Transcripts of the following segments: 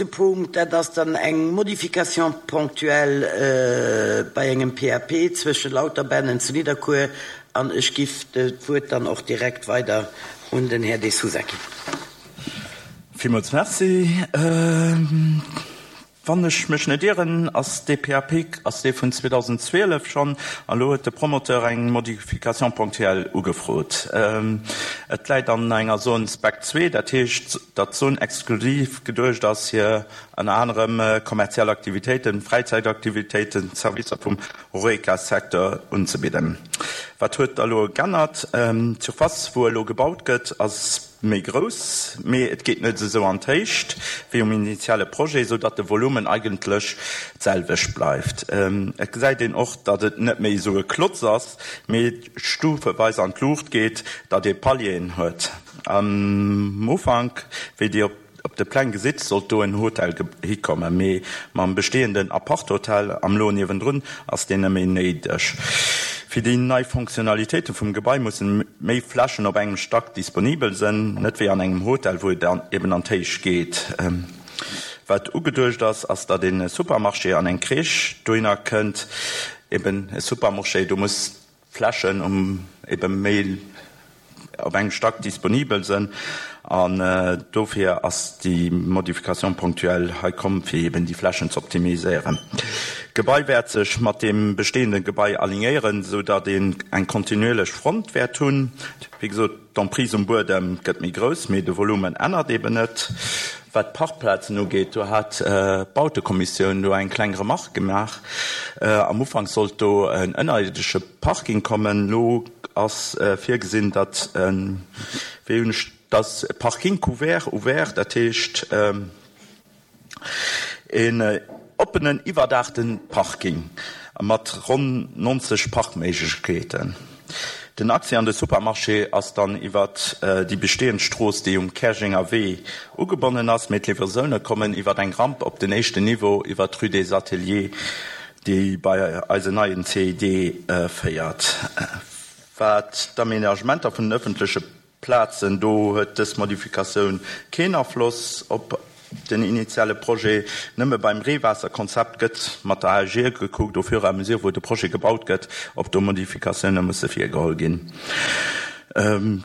Punkt, dat ass dann eng Modification ponctuelle bei engem PAP zwësche Lauterbennen zu Nidderkuer. An ech giff d'Wuert dann och direkt weider un den Här De Sousa ginn. Villmools Merci. Wann ech mech net ieren, ass dee PAP ass dee vun 2012 schonn, an elo huet de Promoteur eng Modification ponctuelle ugefrot. Et läit an enger Zone Spec 2, dat heescht, datt d'Zone exklusiv geduecht ass fir ënner anerem kommerziell Aktivitéiten, Fräizäitaktivitéiten, Servicer vum Horeca-Secteur unzebidden. Wat huet da elo geännert? D'Surface, wou elo gebaut gëtt, ass méi grouss, mee et geet net esou an d'Héicht wéi um initiale Projet, sou datt de Volumen eigentlech d'selwecht bleift. Et gesäit een och, datt et net méi esou e Klotz ass, mee stufeweis an d'Luucht geet, datt ee Palieren huet. Am Ufank, wéi Dir op de Pläng gesitt, sollt do en Hotel hikommen, mee mam bestehenden Aparthotel am Lo niewendrun ass deen net méi néideg. Fir déi nei Fonctionnalitéite vum Gebai mussen méi Flächen op engem Stack disponibel sënn, net wéi an engem Hotel, wou et eben an d'Héicht geet. Wat ugeduecht ass, ass datt een e Supermarché an eng Crèche dohinner kënnt. Eben e Supermarché, do muss Flächen um ebe méi op engem Stack disponibel sënn an dofir ass déi Modification ponctuelle hei komm, fir eben déi Flächen ze optimiséieren. D'Gebai wäert sech mat deem bestehende Gebai alignéieren, esou datt een eng kontinuierlech Front wäert hunn. Wéi gesot, d'Emprise um Buedem gëtt méi grouss, mee de Volumen ännert eben net. Wat d'Parkplazen ugeet, do hat d'Bautekommissioun do eng kleng Remarque gemaach. Am Ufank sollt do en ënnerierdesche Parking kommen. Elo ass virgesinn, datt e, wéi hunn ech, datt e Parking couvert, ouvert, dat heescht een oppenen, iwwerdaachte Parking mat ronn 90 Parkméiglechkeeten. Den Accès an de Supermarché ass dann iwwert déi bestehend Strooss, déi um Käerjenger Wee ugebonnen ass, mee d'Livraisoune kommen iwwert eng Ramp op den éischten Niveau iwwert d'Rue des Ateliers, déi bei eisen neien CID féiert. Wat d'Aménagementer vun den ëffentleche Plazen, do huet dës Modifikatioun keen Afloss op den initiale Projet. Nëmme beim Reewaasserkonzept gëtt mat der AEG gekuckt, au fur et à mesure wou de Projet gebaut gëtt, ob do Modifikatioune musse virgeholl ginn.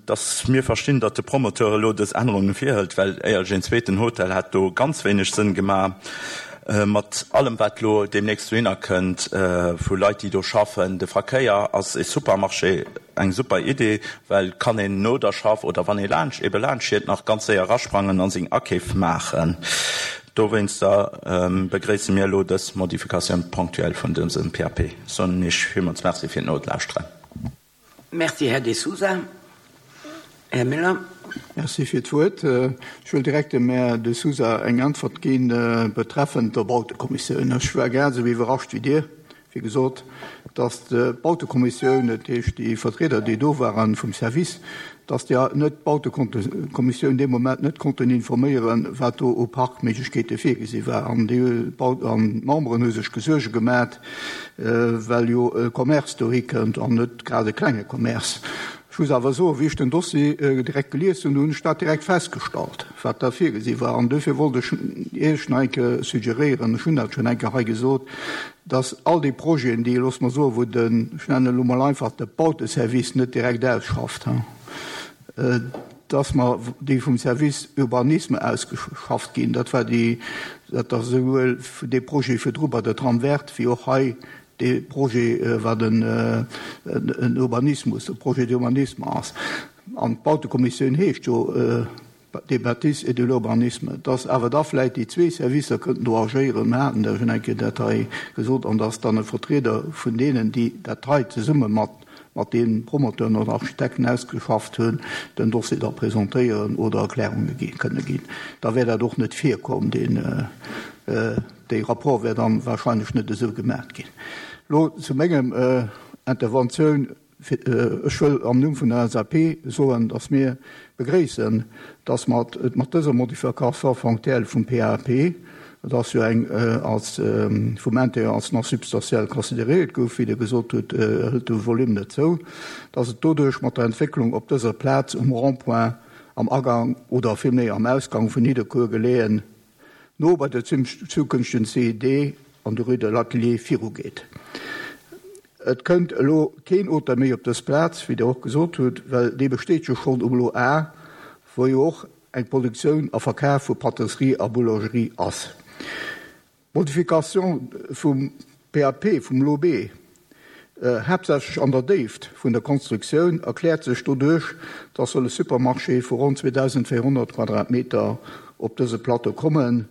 Dass mir verstinn, datt de Promoteur elo dës Ännerunge virhëlt, well éierlech een zweeten Hotel hätt do ganz wéineg Sënn gemaach. Mat allem wat elo deemnächst dohinner kënnt vu Leit déi do schaffen, de Verkéier, ass e Supermarché eng super Idee, well kann een no der Schaff oder wann ee laanscht ebe laanscht fiert nach ganz séier erasprangen an seng Akeef maachen. Dowéinster begréisse mir elo dës Modification ponctuelle vun dësem PAP. Soen Iech villmools Merci fir d'Nolauschteren. Merci, Här De Sousa. Här Müller. Merci fir d'Wuert. Ech wëll direkt dem Här De Sousa eng Äntwert gi betreffend der Bautekommissioun. Ech war grad esou iwwerrascht wéi Dir, wéi gesot, datt d'Bautekommissioun, dat heescht déi Vertrieder, déi do waren vum Service, datt déi net d'Bautekommissioun dee Moment net konnten informéieren, wat do u Parkméiglechkeete virgesi war. An d'Memberen hu sech Gesuerge gemat, well jo e Commerce dohi kënnt an net grad e klenge Commerce. Ech muss awer soen, wéi ech den Dossier direkt gelies hunn, hunn ech dat direkt festgestallt, wat da virgesi war. An duerfir wollt ech Iech nach eng Kéier suggeréieren, ech hunn dat schonn eng Kéier hei gesot, dass all déi Projeten, déi, loosse mer soen, wou den, ech nennen elo mol einfach, de Bauteservice net direkt ausschafft, dass mer déi vum Service Urbanisme ausgeschafft ginn, dat war déi, dat ass esouwuel dee Projet virdru bei der Trame verte wéi och hei dee Projet, wat en Urbanismus, e Projet d'urbanisme ass. An d'Bautekommissioun heescht jo des bâtisses et de l'urbanisme, dass awer da vläicht déi zwee Servicer kënnten do agéieren. Mir haten da schonn eng Kéier dat hei gesot, an dass dann e Vertrieder vun deenen, déi dat hei zesumme mat mat deenen Promoteuren oder Architekten ausgeschafft hunn, den Dossier da presentéieren oder Erklärunge gi kënne ginn. Da wär dat och net virkomm, deen dee Rapport wär dann wahrscheinlech net esou gemaat ginn. Elo zu mengem Interventioun. Ech wëll am Numm vun der LSAP soen, dass mir begréissen, dass mer et mat dëser Modification fonctielle vum PAP, et ass jo eng als vum Intérieur als non substantielle consideréiert gouf, wéi Der gesot hutt, hëlt de Volume net zou, dass et doduerch mat der Entwécklung op dëser Plaz um Rond-point am Agang oder villméi am Ausgang vun Nidderkuer geleeën. No bei der zukünftegen CID an der Rue de l'Atelier virugeet. Et kënnt elo keen Hotel méi op dës Plaz, wéi Der och gesot hutt, well dee besteet jo schonn um Lot A, wou jo och eng Produktioun a Verkaf vu Pâtisserie a Boulangerie ass. D'Modification vum PAP vum Lot B, haaptsächlech an der Déift vun der Konstruktioun, erkläert sech doduerch, dass soll e Supermarché vu ronn 2.400 Quadratmeter op dëse Plateau kommen,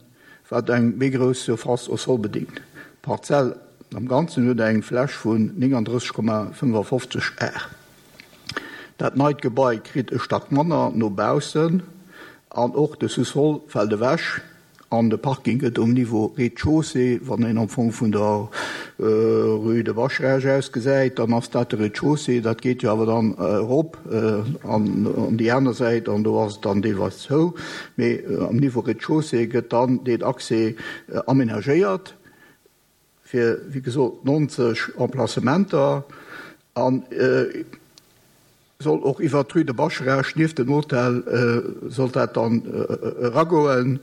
wat eng méi grouss Surface au sol bedingt. D'Parzell am Ganzen huet eng Fläch vun 39,55 Ar. Dat neit Gebai kritt e Stack manner no baussen an och de Sous-sol fält ewech. An de Parking gëtt um Niveau Rez-de-chaussée, wann een am Fong vun der Rue de Bascharage aus gesäit, dann ass dat de Rez-de-chaussée. Dat geet jo awer dann erop an déi aner Säit an do ass et dann deelweis zou. Mee am Niveau Rez-de-chaussée gëtt dann deen Accès aménagéiert fir, wéi gesot, 90 Emplacementer. An soll och iwwert d'Rue de Bascharage nieft dem Hotel sollt dat dann eragoen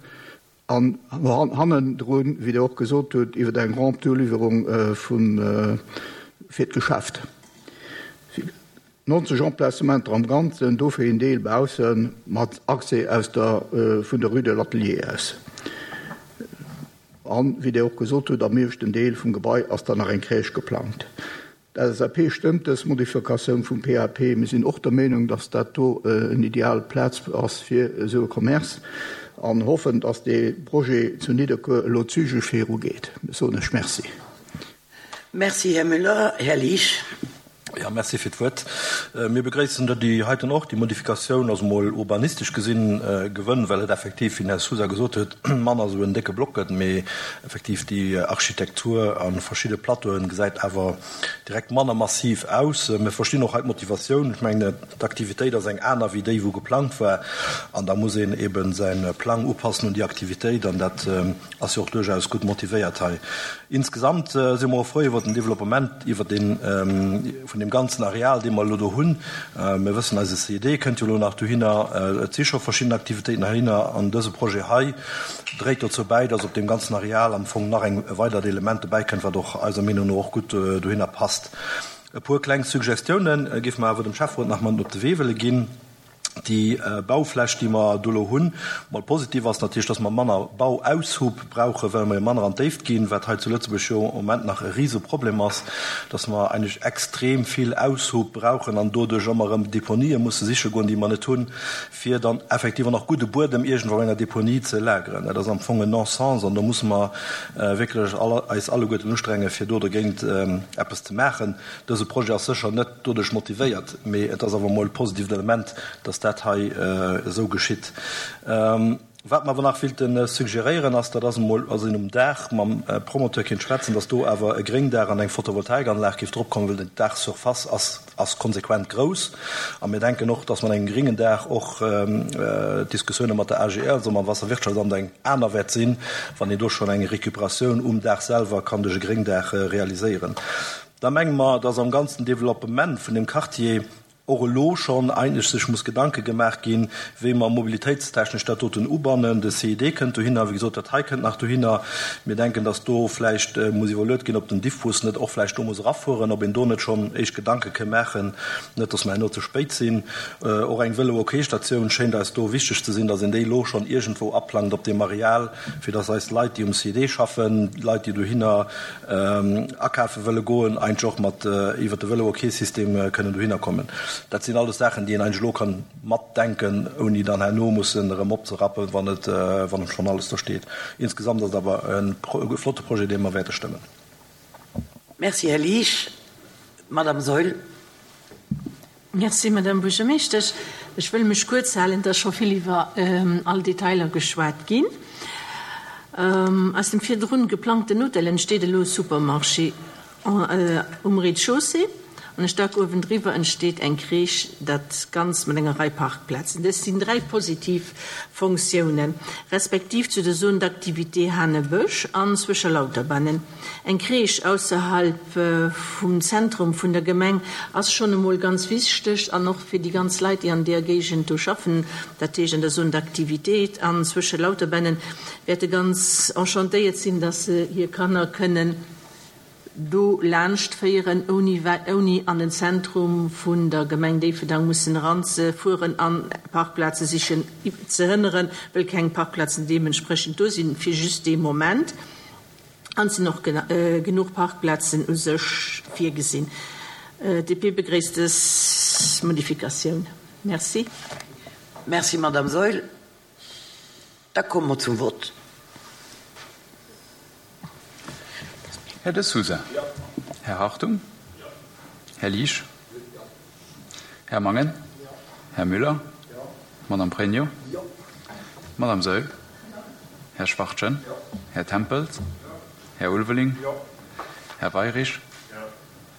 an hannendrun, wéi Der och gesot hutt, iwwer eng Rampe d'Uliwwerung vun fir d'Geschäft. 90 Emplacementer am Ganzen, dofir een Deel bausse mat Accès aus der vun der Rue de l'Atelier aus. An, wéi Der och gesot hutt, am ieweschten Deel vum Gebai ass dann nach eng Crèche geplangt. D'LSAP stëmmt dës Modifikatioun vum PAP. Mir sinn och der Meenung, dass dat do en ideal Plaz ass fir esou e Commerce an hoffen, dass dee Projet zu Nidderkuer elo zügeg virugeet. Soen ech Merci. Merci, Här Müller. Här Liesch. Jo, merci fir d'Wuert. Mir begréissen der déi heiten och. Déi Modifikatioun ass emol urbanistesch gesinn gewënn, well et effektiv, wéi den Här Sousa gesot huet, manner esou en décke Block gëtt, mee Effektiv, déi Architektur a verschidde Plateauen gesäit awer direkt manner massiv aus. Mir verstinn och hei d'Motivatioun. Ech mengen, d'Aktivitéit ass eng aner wéi déi, wou geplangt war. An da muss een eebe säi Plang upassen un déi Aktivitéit. An dat ass jo och duerchaus gutt motivéiert hei. Insgesamt si mer och frou iwwert den Developpement iwwer dee vun deem ganzen Areal, dee mer elo do hunn. Mir wëssen, eise CED kënnt jo elo nach dohinner. Et si scho verschidden Aktivitéiten heihinner. An dëse Projet hei dréit dozou bäi, dass op deem ganzen Areal am Fong nach eng e weidert Element dobäi kënnt, wat och eiser Meenung no och gutt dohinner passt. E puer kleng Suggestiounen géife mer awer dem Schäfferot nach mat op de Wee wëlle ginn. Déi Baufläch, déi mer do elo hunn, mol positiv ass natierlech, dass mer manner Bauaushub brauchen, well mer jo manner an d'Déift ginn, wat hei zu Lëtzebuerg jo am Moment nach e Riseproblem ass, dass mer eigentlech extrem vill Aushub brauchen an doduerch ëmmer erëm Deponië musse siche goen, déi mer net hunn, fir dann effektiv och nach gudde Buedem iergendwou op enger Deponie ze lageren. Dat ass am Fong en Non-sens an do musse mer wierklech eis alleguerten ustrengen, fir do dergéint eppes ze maachen. Dëse Projet ass sécher net doduerch motivéiert, mee et ass awer emol e positiivt Element, dass dat hei esou geschitt. Wat mer awer nach willte suggeréieren, ass, dat ass emol, ass een um Daach mam Promoteur kéint schwätzen, dass do awer e Gréngdaach an eng Photovoltaikanlag géif dropkommen, well den Daachsurface ass ass konsequent grouss. A mir denken och, dass mat engem gréngen Daach och d'Diskussioune mat der AGR, also mam Wasserwirtschaftsamt, eng aner wäert sinn, wann een do schonn eng Récupératioun um Daach selwer kann duerch e Gréngdaach realiséieren. Da menge mer, dass am ganzen Developpement vun deem Quartier och elo schonn eigentlech sech muss Gedanke gemaach ginn, wéi mer mobilitéitstechnesch dat doten ubannen. De CID kënnt dohinner, wéi gesot, dat hei kënnt nach dohinner. Mir denken, dass do vläicht muss iwwerluet ginn, ob den Diffbus net och vläicht do muss erafueren, ob een do net schonn éischt Gedanke ke maachen, net dass mer herno ze spéit sinn. Och eng Vélo-OK-Statioun schéint eis do wichteg ze sinn, dass een déi elo schonn iergendwou aplangt op deem Areal, fir dass eis Leit, déi um CID schaffen, Leit, déi dohinner akafe wëlle goen, eigentlech och mat iwwert de Vëlo-OK-System kënnen dohinner kommen. Dat sinn alles Saachen, déi een eigentlech elo kann matdenken, ouni dann herno mussen erëm opzerappen, wann et, wann schonn alles do steet. Insgesamt ass et awer e flotte Projet, dee mer wäerte stëmmen. Merci, Här Liesch. Madame Saeul. Merci, Madame Buergermeeschtesch. Ech wëll mech kuerz halen, et ass scho vill iwwer all Detailer geschwat ginn. Aus dem virdrun geplangten Hotel entsteet elo e Supermarché um Rez-de-chaussée. An e Stack uewendriwwer entsteet eng Crèche, dat Ganzt mat enger Rei Parkplazen. Dës sinn 3 positiv Fonctiounen, respektiv zu der Zone d'activité Hanebësch an zwësche Lauterbannen. Eng Crèche ausserhalb vum Zentrum vun der Gemeng ass schonn emol ganz wichteg an och fir déi ganz Leit, déi an deeër Géigend do schaffen, dat heescht an der Zone d'activité an zwësche Lauterbannen, wäerte ganz enchantéiert sinn, dass se hir Kanner kënnen do laanscht féieren, ouni ouni an den Zentrum vun der Gemeng Déifferdang mussen eranzefueren an Parkplaze sichen ze hënneren, wëll keng Parkplazen deementsprechend do sinn fir just dee Moment. An et sinn och genuch Parkplazen u sech virgesinn. DP begréisst dës Modifikatioun. Merci. Merci, Madame Saeul. Da komme mer zum Vott. Här De Sousa. Här Hartung. Här Liesch. Här Mangen. Här Müller. Madame Pregno. Madame Saeul. Här Schwachtgen. Här Tempels. Här Ulveling. Här Weirich.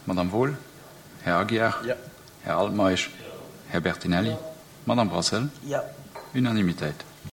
Madame Wohl. Här Aguiar. Här Altmeisch. Här Bertinelli. Madame Brassel. Unanimitéit.